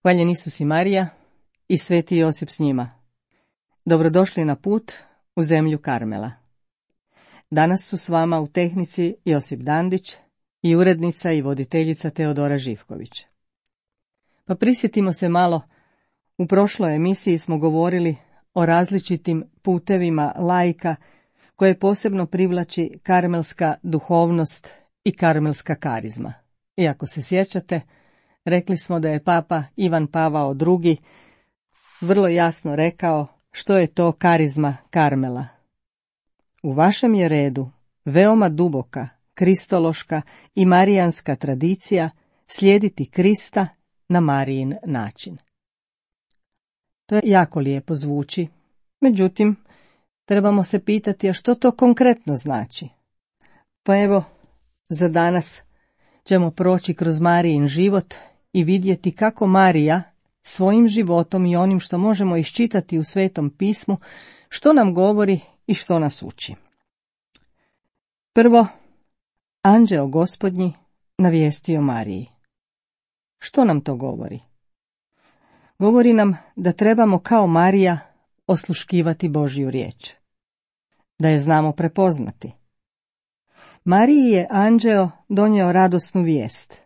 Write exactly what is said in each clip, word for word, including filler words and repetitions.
Hvaljen Isus i Marija i sveti Josip s njima. Dobrodošli na put u zemlju Karmela. Danas su s vama u tehnici Josip Dandić i urednica i voditeljica Teodora Živković. Pa prisjetimo se malo, u prošloj emisiji smo govorili o različitim putevima laika koje posebno privlači karmelska duhovnost i karmelska karizma. I ako se sjećate, rekli smo da je papa Ivan Pavao drugi vrlo jasno rekao što je to karizma Karmela. U vašem je redu veoma duboka, kristološka i marijanska tradicija slijediti Krista na Marijin način. To je jako lijepo zvuči, međutim, trebamo se pitati a što to konkretno znači. Pa evo, za danas ćemo proći kroz Marijin život i vidjeti kako Marija svojim životom i onim što možemo iščitati u Svetom pismu, što nam govori i što nas uči. Prvo, anđeo Gospodnji navijestio Mariji. Što nam to govori? Govori nam da trebamo kao Marija osluškivati Božju riječ, da je znamo prepoznati. Mariji je anđeo donio radosnu vijest.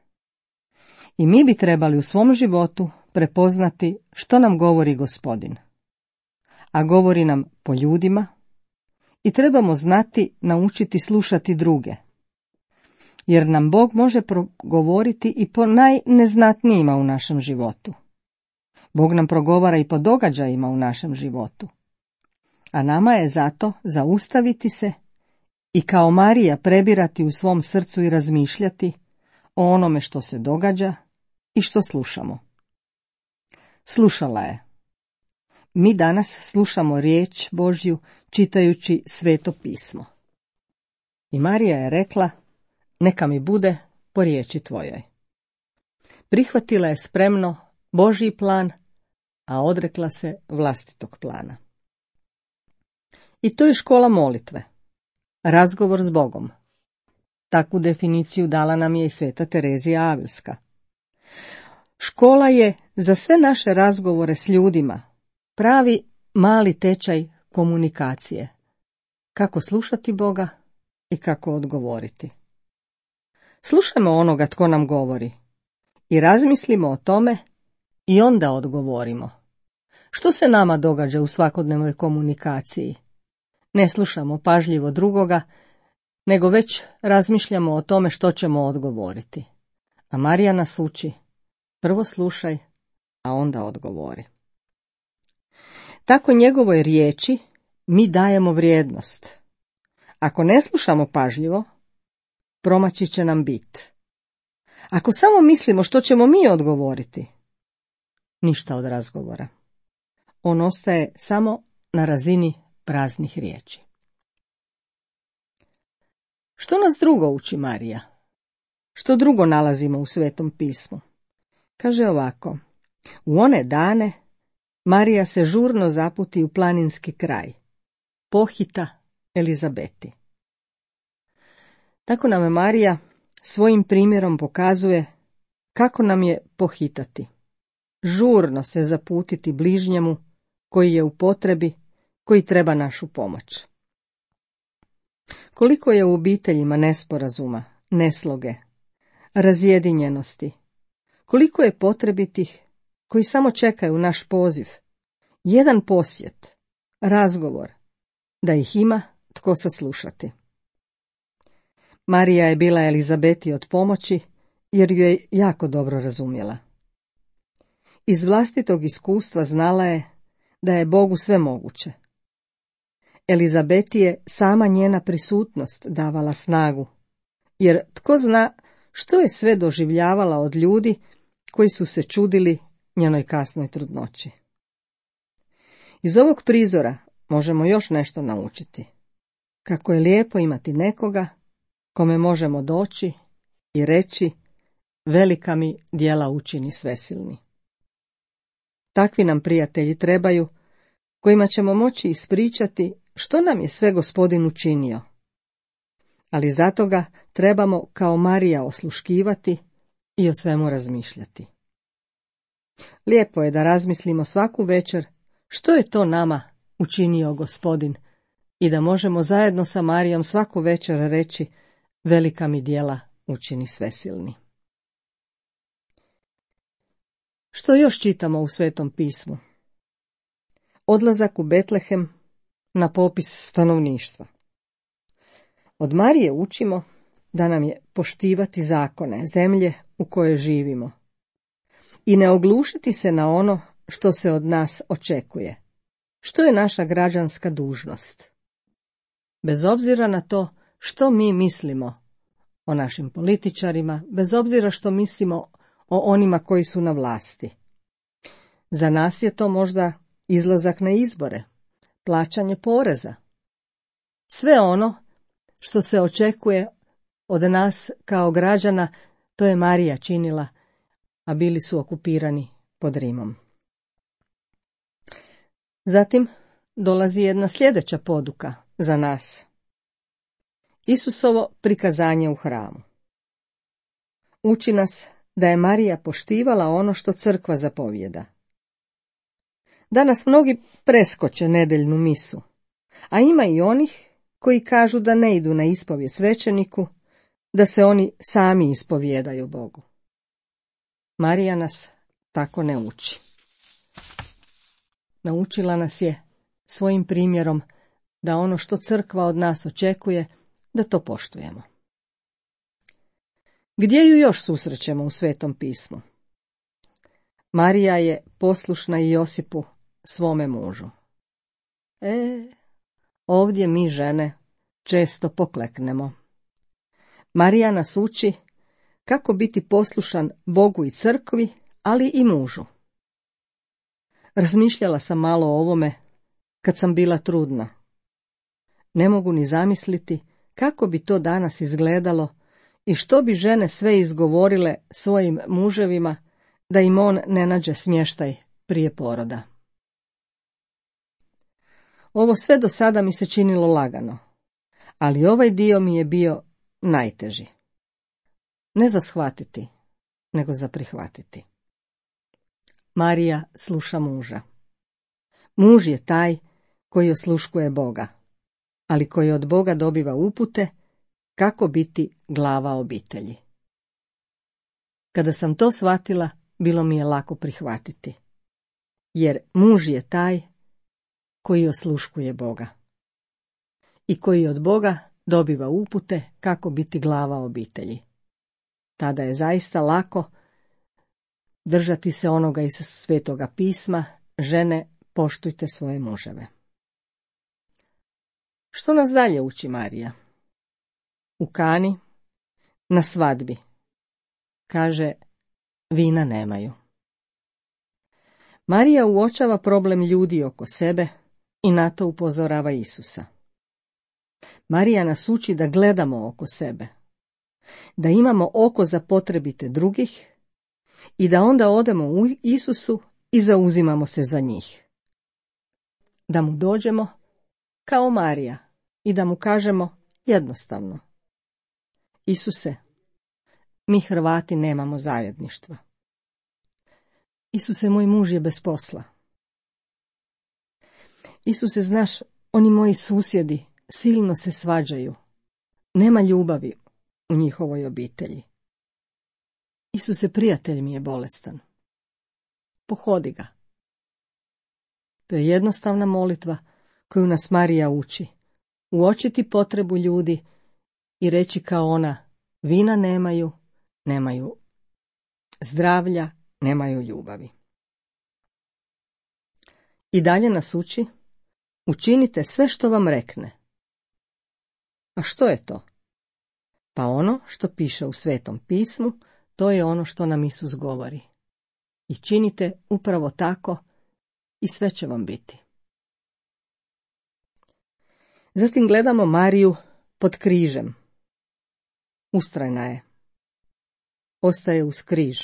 I mi bi trebali u svom životu prepoznati što nam govori Gospodin. A govori nam po ljudima i trebamo znati naučiti slušati druge. Jer nam Bog može progovoriti i po najneznatnijima u našem životu. Bog nam progovara i po događajima u našem životu. A nama je zato zaustaviti se i kao Marija prebirati u svom srcu i razmišljati o onome što se događa i što slušamo. Slušala je. Mi danas slušamo riječ Božju čitajući Sveto pismo. I Marija je rekla, neka mi bude po riječi tvojoj. Prihvatila je spremno Božji plan, a odrekla se vlastitog plana. I to je škola molitve. Razgovor s Bogom. Takvu definiciju dala nam je i sveta Terezija Avilska. Škola je za sve naše razgovore s ljudima pravi mali tečaj komunikacije. Kako slušati Boga i kako odgovoriti. Slušajmo onoga tko nam govori i razmislimo o tome i onda odgovorimo. Što se nama događa u svakodnevnoj komunikaciji? Ne slušamo pažljivo drugoga, nego već razmišljamo o tome što ćemo odgovoriti. A Marija nas uči, prvo slušaj, a onda odgovori. Tako njegovoj riječi mi dajemo vrijednost. Ako ne slušamo pažljivo, promaći će nam bit. Ako samo mislimo što ćemo mi odgovoriti, ništa od razgovora. On ostaje samo na razini praznih riječi. Što nas drugo uči Marija? Što drugo nalazimo u Svetom pismu? Kaže ovako, u one dane Marija se žurno zaputi u planinski kraj, pohita Elizabeti. Tako nam Marija svojim primjerom pokazuje kako nam je pohitati. Žurno se zaputiti bližnjemu koji je u potrebi, koji treba našu pomoć. Koliko je u obiteljima nesporazuma, nesloge, razjedinjenosti, koliko je potrebitih koji samo čekaju naš poziv, jedan posjet, razgovor, da ih ima tko saslušati. Marija je bila Elizabeti od pomoći jer ju je jako dobro razumjela. Iz vlastitog iskustva znala je da je Bogu sve moguće. Elizabeti je sama njena prisutnost davala snagu, jer tko zna što je sve doživljavala od ljudi koji su se čudili njenoj kasnoj trudnoći. Iz ovog prizora možemo još nešto naučiti. Kako je lijepo imati nekoga kome možemo doći i reći velika mi djela učini svesilni. Takvi nam prijatelji trebaju, kojima ćemo moći ispričati što nam je sve Gospodin učinio. Ali zato ga trebamo kao Marija osluškivati i o svemu razmišljati. Lijepo je da razmislimo svaku večer što je to nama učinio Gospodin i da možemo zajedno sa Marijom svaku večer reći: velika mi djela učini svesilni. Što još čitamo u Svetom pismu? Odlazak u Betlehem na popis stanovništva. Od Marije učimo da nam je poštivati zakone zemlje u kojoj živimo i ne oglušiti se na ono što se od nas očekuje, što je naša građanska dužnost. Bez obzira na to što mi mislimo o našim političarima, bez obzira što mislimo o onima koji su na vlasti. Za nas je to možda izlazak na izbore, plaćanje poreza. Sve ono što se očekuje od nas kao građana, to je Marija činila, a bili su okupirani pod Rimom. Zatim dolazi jedna sljedeća poduka za nas. Isusovo prikazanje u hramu. Uči nas da je Marija poštivala ono što crkva zapovijeda. Danas mnogi preskoče nedeljnu misu, a ima i onih koji kažu da ne idu na ispovijed svećeniku, da se oni sami ispovijedaju Bogu. Marija nas tako ne uči. Naučila nas je svojim primjerom da ono što crkva od nas očekuje, da to poštujemo. Gdje ju još susrećemo u Svetom pismu? Marija je poslušna i Josipu, svome mužu. E, ovdje mi žene često pokleknemo. Marija nas uči kako biti poslušan Bogu i crkvi, ali i mužu. Razmišljala sam malo o ovome kad sam bila trudna. Ne mogu ni zamisliti kako bi to danas izgledalo i što bi žene sve izgovorile svojim muževima da im on ne nađe smještaj prije poroda. Ovo sve do sada mi se činilo lagano, ali ovaj dio mi je bio najteži. Ne za shvatiti, nego za prihvatiti. Marija sluša muža. Muž je taj koji osluškuje Boga, ali koji od Boga dobiva upute kako biti glava obitelji. Kada sam to shvatila, bilo mi je lako prihvatiti, jer muž je taj koji osluškuje Boga i koji od Boga dobiva upute kako biti glava obitelji. Tada je zaista lako držati se onoga iz Svetoga pisma: žene, poštujte svoje muževe. Što nas dalje uči Marija? U Kani, na svadbi, kaže: vina nemaju. Marija uočava problem ljudi oko sebe i na to upozorava Isusa. Marija nas uči da gledamo oko sebe, da imamo oko za potrebite drugih i da onda odemo u Isusu i zauzimamo se za njih. Da mu dođemo kao Marija i da mu kažemo jednostavno: Isuse, mi Hrvati nemamo zajedništva. Isuse, moj muž je bez posla. Isuse, znaš, oni moji susjedi silno se svađaju. Nema ljubavi u njihovoj obitelji. Isuse, prijatelj mi je bolestan. Pohodi ga. To je jednostavna molitva koju nas Marija uči. Uočiti potrebu ljudi i reći kao ona: vina nemaju, nemaju zdravlja, nemaju ljubavi. I dalje nas uči: učinite sve što vam rekne. A što je to? Pa ono što piše u Svetom pismu, to je ono što nam Isus govori. I činite upravo tako i sve će vam biti. Zatim gledamo Mariju pod križem. Ustrajna je. Ostaje uz križ.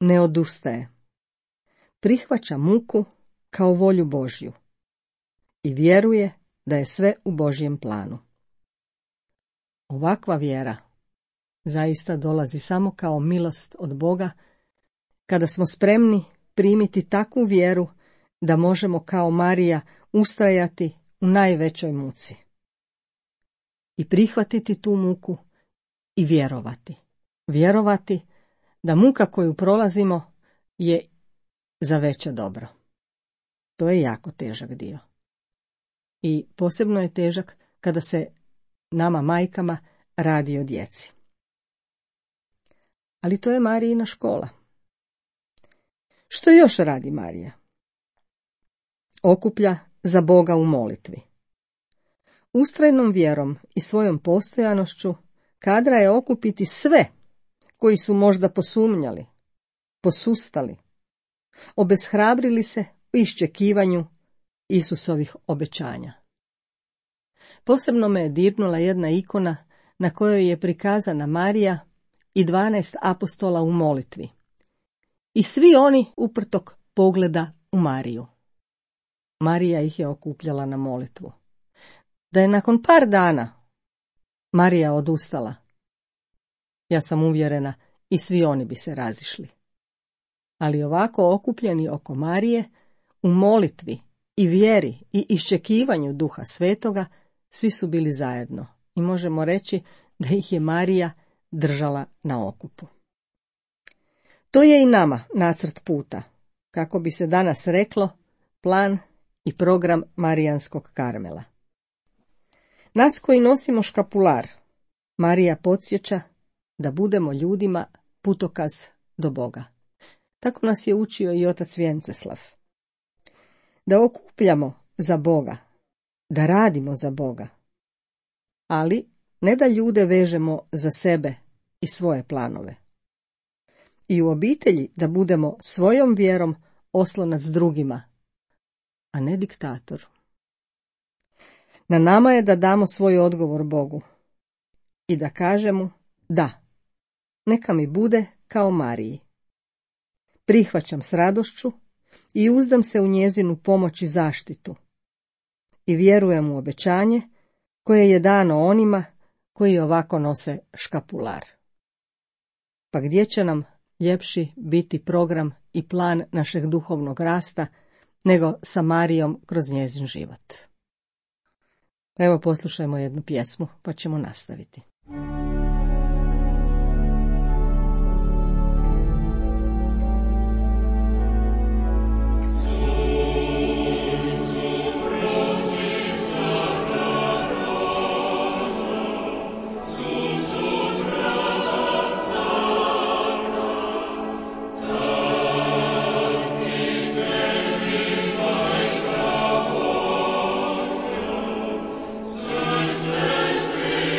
Ne odustaje. Prihvaća muku kao volju Božju i vjeruje da je sve u Božjem planu. Ovakva vjera zaista dolazi samo kao milost od Boga kada smo spremni primiti takvu vjeru da možemo kao Marija ustrajati u najvećoj muci. I prihvatiti tu muku i vjerovati. Vjerovati da muka koju prolazimo je za veće dobro. To je jako težak dio. I posebno je težak kada se nama majkama radi o djeci. Ali to je Marijina škola. Što još radi Marija? Okuplja za Boga u molitvi. Ustrajnom vjerom i svojom postojanošću kadra je okupiti sve koji su možda posumnjali, posustali, obeshrabrili se u iščekivanju Isusovih obećanja. Posebno me je dirnula jedna ikona na kojoj je prikazana Marija i dvanaest apostola u molitvi. I svi oni uprtok pogleda u Mariju. Marija ih je okupljala na molitvu. Da je nakon par dana Marija odustala, ja sam uvjerena i svi oni bi se razišli. Ali ovako okupljeni oko Marije, u molitvi i vjeri i iščekivanju Duha Svetoga, svi su bili zajedno i možemo reći da ih je Marija držala na okupu. To je i nama nacrt puta, kako bi se danas reklo, plan i program Marijanskog Karmela. Nas koji nosimo škapular, Marija podsjeća da budemo ljudima putokaz do Boga. Tako nas je učio i otac Vjenceslav. Da okupljamo za Boga, da radimo za Boga, ali ne da ljude vežemo za sebe i svoje planove. I u obitelji da budemo svojom vjerom oslonac drugima, a ne diktator. Na nama je da damo svoj odgovor Bogu i da kažemo da, neka mi bude kao Mariji. Prihvaćam s radošću i uzdam se u njezinu pomoć i zaštitu i vjerujem u obećanje koje je dano onima koji ovako nose škapular. Pa gdje će nam ljepši biti program i plan našeg duhovnog rasta nego sa Marijom kroz njezin život. Evo poslušajmo jednu pjesmu pa ćemo nastaviti. Serce swych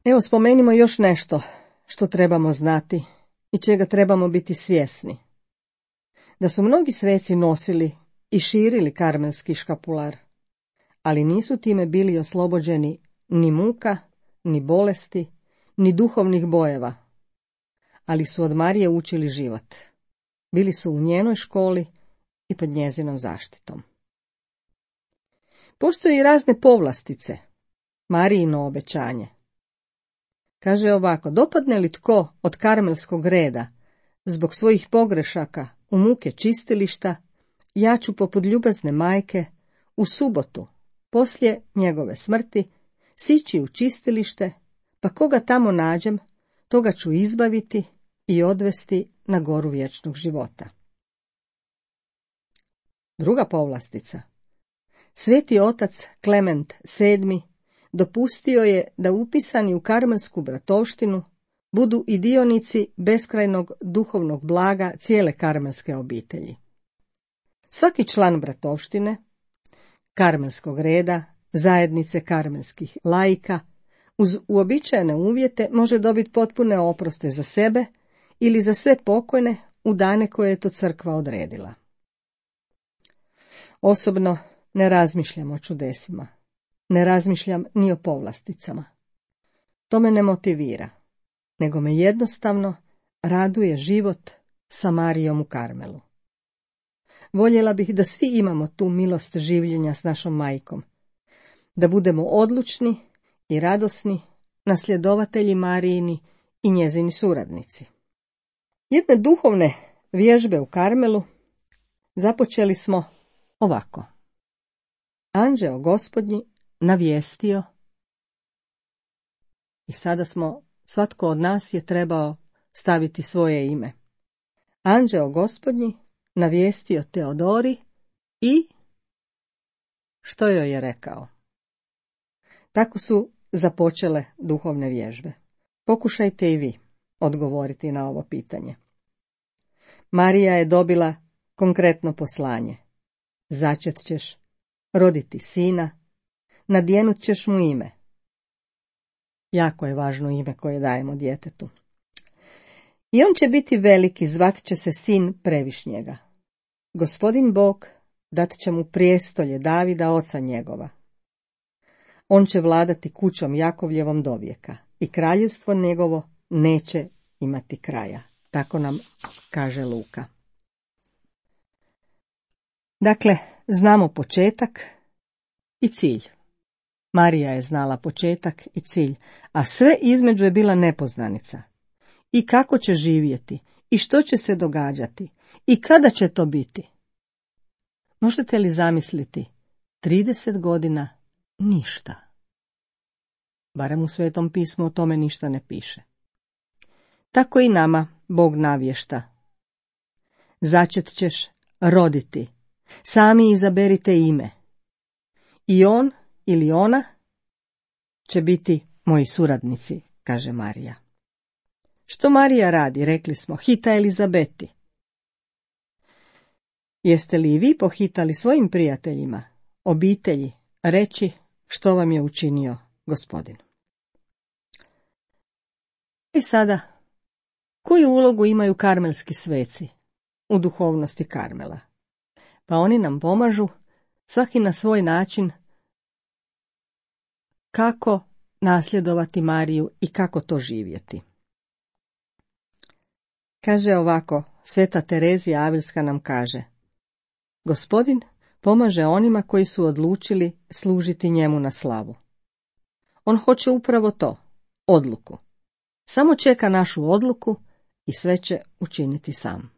Evo spomenimo još nešto što trebamo znati i čega trebamo biti svjesni. Da su mnogi sveci nosili i širili karmelski škapular, ali nisu time bili oslobođeni ni muka, ni bolesti, ni duhovnih bojeva, ali su od Marije učili život. Bili su u njenoj školi i pod njezinom zaštitom. Postoje i razne povlastice, Marijino obećanje. Kaže ovako, dopadne li tko od karmelskog reda zbog svojih pogrešaka u muke čistilišta, ja ću poput ljubazne majke u subotu, poslije njegove smrti, sići u čistilište, pa koga tamo nađem, toga ću izbaviti i odvesti na goru vječnog života. Druga povlastica. Sveti otac Klement sedmi dopustio je da upisani u karmelsku bratovštinu budu i dionici beskrajnog duhovnog blaga cijele karmelske obitelji. Svaki član bratovštine, karmelskog reda, zajednice karmelskih laika, uz uobičajene uvjete može dobiti potpune oproste za sebe ili za sve pokojne u dane koje je to crkva odredila. Osobno ne razmišljam o čudesima, ne razmišljam ni o povlasticama. To me ne motivira, nego me jednostavno raduje život sa Marijom u Karmelu. Voljela bih da svi imamo tu milost življenja s našom majkom, da budemo odlučni i radosni nasljedovatelji Marijini i njezini suradnici. Jedne duhovne vježbe u Karmelu započeli smo ovako. Anđeo Gospodnji navijestio, i sada smo, svatko od nas je trebao staviti svoje ime. Anđeo Gospodnji navijestio Teodori i što joj je rekao? Tako su započele duhovne vježbe. Pokušajte i vi odgovoriti na ovo pitanje. Marija je dobila konkretno poslanje. Začet ćeš, roditi sina, nadjenut ćeš mu ime. Jako je važno ime koje dajemo djetetu. I on će biti veliki, zvat će se sin Previšnjega. Gospodin Bog dat će mu prijestolje Davida, oca njegova. On će vladati kućom Jakovljevom dovijeka i kraljevstvo njegovo neće imati kraja. Tako nam kaže Luka. Dakle, znamo početak i cilj. Marija je znala početak i cilj, a sve između je bila nepoznanica. I kako će živjeti, i što će se događati, i kada će to biti. Možete li zamisliti, trideset godina ništa. Barem u Svetom pismu o tome ništa ne piše. Tako i nama Bog navješta. Začet ćeš roditi, sami izaberite ime. I on ili ona će biti moji suradnici, kaže Marija. Što Marija radi, rekli smo, hita Elizabeti. Jeste li i vi pohitali svojim prijateljima, obitelji, reći što vam je učinio Gospodin? I sada, koju ulogu imaju karmelski sveci u duhovnosti Karmela? Pa oni nam pomažu, svaki na svoj način, kako nasljedovati Mariju i kako to živjeti. Kaže ovako, Sveta Terezija Avilska nam kaže: Gospodin pomaže onima koji su odlučili služiti njemu na slavu. On hoće upravo to, odluku. Samo čeka našu odluku i sve će učiniti sam.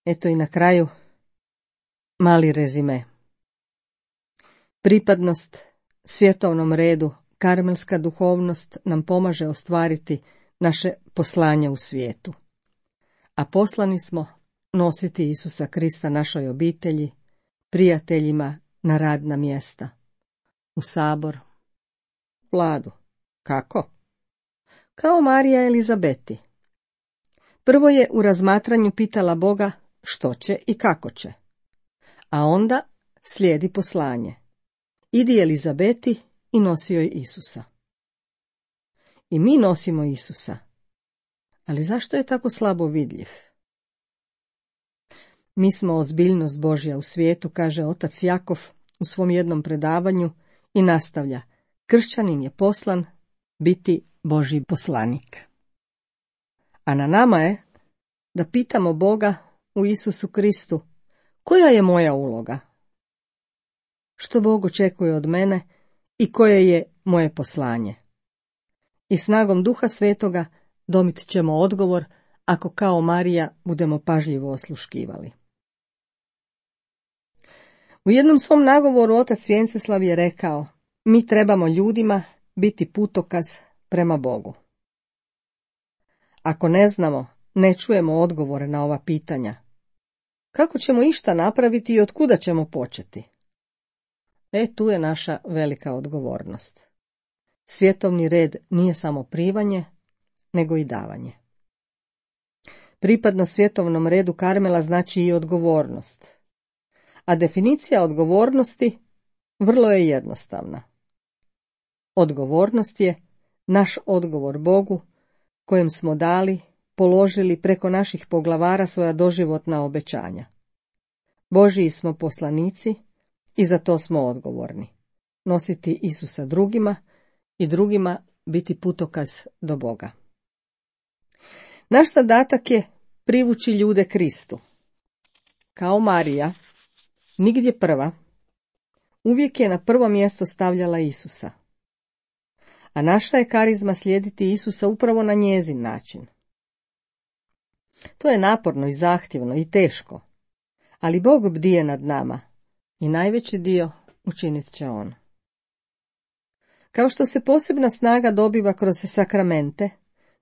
Eto i na kraju mali rezime. Pripadnost svjetovnom redu, karmelska duhovnost nam pomaže ostvariti naše poslanje u svijetu. A poslani smo nositi Isusa Krista našoj obitelji, prijateljima, na radna mjesta, u sabor, vladu. Kako? Kao Marija Elizabeti. Prvo je u razmatranju pitala Boga što će i kako će, a onda slijedi poslanje. Idi Elizabeti i nosi joj Isusa. I mi nosimo Isusa. Ali zašto je tako slabo vidljiv? Mi smo ozbiljnost Božja u svijetu, kaže otac Jakov u svom jednom predavanju i nastavlja. Kršćanin je poslan biti Božji poslanik. A na nama je da pitamo Boga u Isusu Kristu, koja je moja uloga? Što Bog očekuje od mene i koje je moje poslanje? I snagom Duha Svetoga domit ćemo odgovor ako kao Marija budemo pažljivo osluškivali. U jednom svom nagovoru otac Vjenceslav je rekao, mi trebamo ljudima biti putokaz prema Bogu. Ako ne znamo, ne čujemo odgovore na ova pitanja, kako ćemo išta napraviti i otkuda ćemo početi? E, tu je naša velika odgovornost. Svjetovni red nije samo primanje, nego i davanje. Pripadnost svjetovnom redu Karmela znači i odgovornost. A definicija odgovornosti vrlo je jednostavna. Odgovornost je naš odgovor Bogu, kojem smo dali, položili preko naših poglavara svoja doživotna obećanja. Božiji smo poslanici i za to smo odgovorni. Nositi Isusa drugima i drugima biti putokaz do Boga. Naš zadatak je privući ljude Kristu. Kao Marija, nigdje prva, uvijek je na prvo mjesto stavljala Isusa. A naša je karizma slijediti Isusa upravo na njezin način. To je naporno i zahtjevno i teško, ali Bog bdije nad nama i najveći dio učinit će On. Kao što se posebna snaga dobiva kroz sakramente,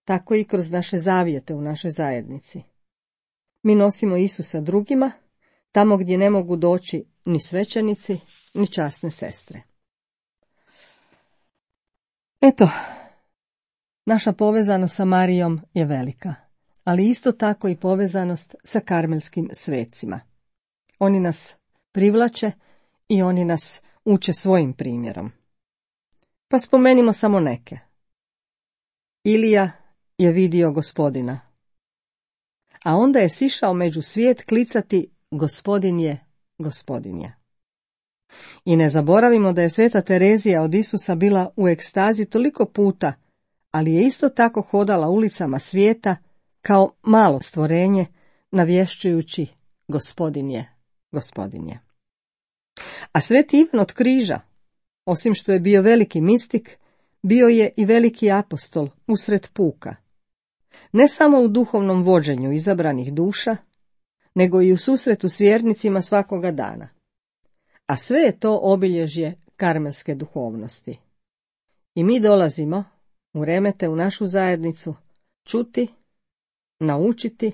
tako i kroz naše zavjete u našoj zajednici. Mi nosimo Isusa drugima, tamo gdje ne mogu doći ni svećenici, ni časne sestre. Eto, naša povezanost sa Marijom je velika, ali isto tako i povezanost sa karmelskim svecima. Oni nas privlače i oni nas uče svojim primjerom. Pa spomenimo samo neke. Ilija je vidio Gospodina, a onda je sišao među svijet klicati Gospodin je, Gospodin je. I ne zaboravimo da je sveta Terezija od Isusa bila u ekstazi toliko puta, ali je isto tako hodala ulicama svijeta kao malo stvorenje, navješćujući Gospodin je, Gospodin je. A sveti Ivan od Križa, osim što je bio veliki mistik, bio je i veliki apostol usred puka. Ne samo u duhovnom vođenju izabranih duša, nego i u susretu s vjernicima svakoga dana. A sve je to obilježje karmelske duhovnosti. I mi dolazimo u remete u našu zajednicu čuti, naučiti,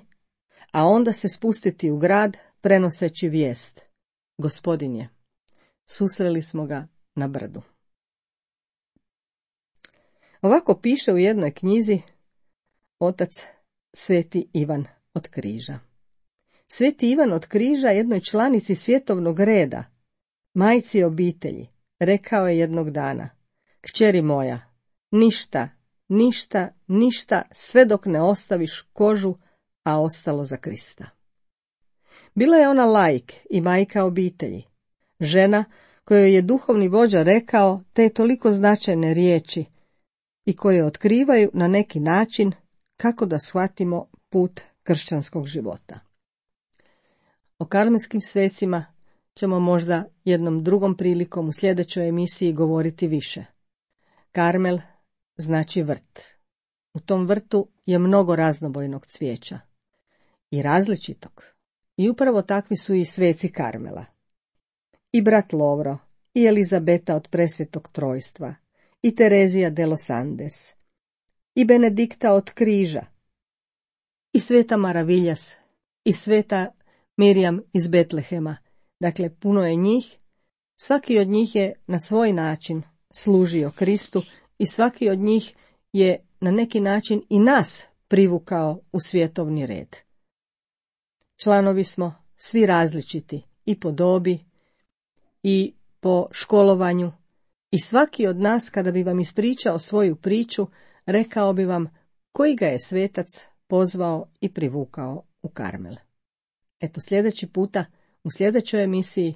a onda se spustiti u grad prenoseći vijest. Gospodin je. Susreli smo ga na brdu. Ovako piše u jednoj knjizi otac Sveti Ivan od Križa. Sveti Ivan od Križa jednoj članici svjetovnog reda, majci obitelji, rekao je jednog dana: kćeri moja, ništa, ništa, ništa, sve dok ne ostaviš kožu, a ostalo za Krista. Bila je ona laik i majka obitelji, žena kojoj je duhovni vođa rekao te toliko značajne riječi i koje otkrivaju na neki način kako da shvatimo put kršćanskog života. O karmelskim svecima ćemo možda jednom drugom prilikom u sljedećoj emisiji govoriti više. Karmel znači vrt. U tom vrtu je mnogo raznobojnog cvijeća i različitog. I upravo takvi su i sveci Karmela. I brat Lovro, i Elizabeta od Presvetog Trojstva, i Terezija de los Andes, i Benedikta od Križa, i sveta Maraviljas, i sveta Mirjam iz Betlehema. Dakle, puno je njih, svaki od njih je na svoj način služio Kristu i svaki od njih je na neki način i nas privukao u svjetovni red. Članovi smo svi različiti i po dobi i po školovanju i svaki od nas kada bi vam ispričao svoju priču rekao bi vam koji ga je svetac pozvao i privukao u Karmel. Eto, sljedeći puta, u sljedećoj emisiji,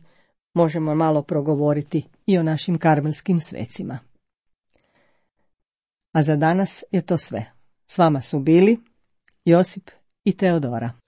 možemo malo progovoriti i o našim karmelskim svecima. A za danas je to sve. S vama su bili Josip i Teodora.